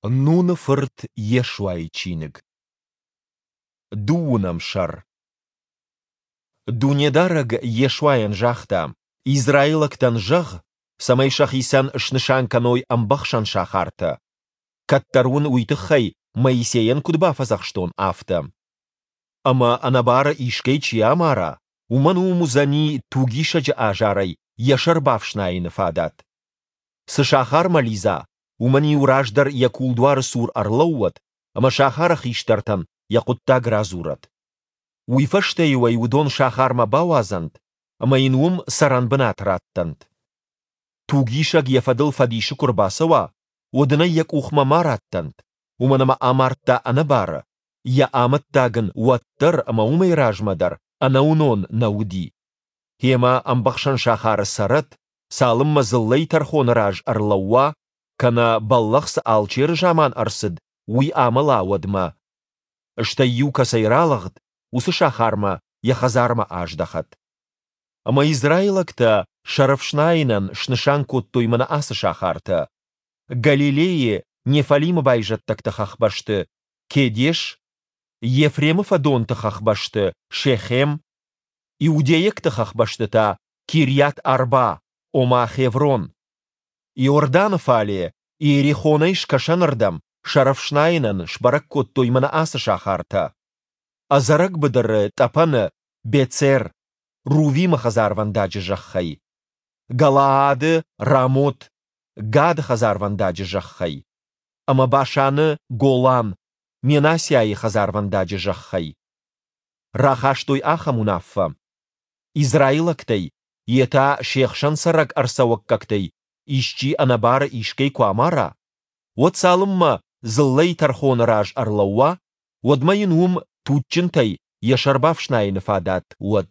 Нуны фырт Йешуайы чиныг. Дыууынӕм сӕр. Дунедарӕг Йешуайӕн загъта: «Израилӕгтӕн зӕгъ, цӕмӕй сӕхицӕн снысан кӕной ӕмбӕхсӕн сахартӕ, кӕддӕр уын уый тыххӕй Моисейӕн куыд бафӕдзӕхстон, афтӕ. Ӕмӕ ӕнӕбары искӕй чи амара, уымӕн уым уыдзӕни тугисӕджы азарӕй йӕ сӕр бафснайыны фадат. Цы сахармӕ лидза, уымӕн-иу раздӕр йӕ кулдуары цур ӕрлӕууӕд ӕмӕ сахары хистӕртӕн йӕ хъуыддаг радзурӕд. Уый фӕстӕ-иу ӕй уыдон сахармӕ бауадзӕнт ӕмӕ йын уым цӕрӕнбынат раттӕнт. Тугисӕг йӕ фӕдыл фӕдисы куы рбацӕуа, уӕд ын ӕй йӕ къухмӕ ма раттӕнт, уымӕн ӕмӕ амардта ӕнӕбары, йӕ амӕттаг ын уӕд дӕр ӕмӕ уымӕй размӕ дӕр ӕнӕуынон нӕ уыди. Гъемӕ ӕмбӕхсӕн сахары цӕрӕд, цалынмӕ дзыллӕйы тӕрхоны раз ӕрлӕууа, кӕнӕ бӕллӕх цы алчеры заман ӕрцыд, уый амӕла, уӕдмӕ. Стӕй-иу кӕцӕй ралыгъд, уыцы сахармӕ йӕ хӕдзармӕ аздӕхӕд. Ӕмӕ израилӕгтӕ сӕрӕфснайынӕн снысан кодтой мӕнӕ ацы сахартӕ: Галилейы Неффалимы байзӕддӕгты хӕхбӕсты Кедеш, Ефремы фӕдонты хӕхбӕсты Шехем, иудейӕгты хӕхбӕсты та Кирйат-Арба, ома Хеврон. Иорданы фале, Иерихонӕй скӕсӕнырдӕм, сӕрӕфснайынӕн сбӕрӕг кодтой мӕнӕ ацы сахартӕ: Ӕдзӕрӕг быдыры тъӕпӕны Бецер, Рувимы хӕдзарвӕндаджы зӕххӕй, Галаады Рамот, Гады хӕдзарвӕндаджы зӕххӕй, ӕмӕ Башаны Голан, Менассиайы хӕдзарвӕндаджы зӕххӕй. Рахастой ахӕм уынаффӕ: Израилӕгтӕй, йе та се хсӕн цӕрӕг ӕрцӕуӕггӕгтӕй исчи ӕнӕбары искӕй куы амара, уӕд цалынмӕ дзыллӕйы тӕрхоны раз ӕрлӕууа, уӕдмӕ йын уым туджджынтӕй йӕ сӕр бафснайыны фадат уӕд.